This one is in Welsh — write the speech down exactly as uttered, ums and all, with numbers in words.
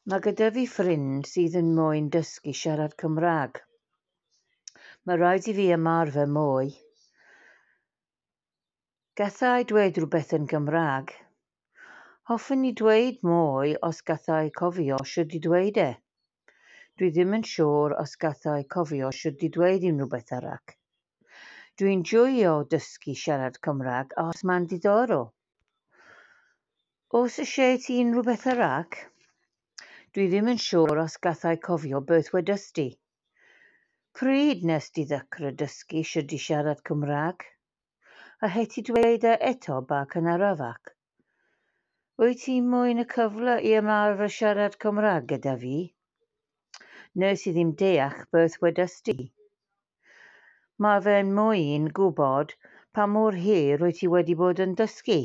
Mae gyda fi ffrind sydd yn moyn dysgu siarad Cymraeg. Mae rhaid i fi ymarfer mwy. Galla i dweud rhywbeth yn Gymraeg. Hoffwn i dweud mwy os galla i cofio shwt i dweud e. Dwi ddim yn siŵr os galla i cofio shwt i dweud unrhyw beth arall. Dwi'n joio dysgu siarad Cymraeg achos mae'n diddorol. Oes eisiau ti unrhyw beth arall? Dwi ddim yn siŵr os galla i cofio beth wedest ti. Pryd wnest ti ddechrau dysgu shwt i siarad Cymraeg? Allet ti dweud e eto bach yn arafach? Wyt ti moyn y cyfle i ymarfer siarad Cymraeg gyda fi? Wnes i ddim deall beth wedest ti. Mae fe'n moyn gwybod pa mor hir wyt ti wedi bod yn dysgu.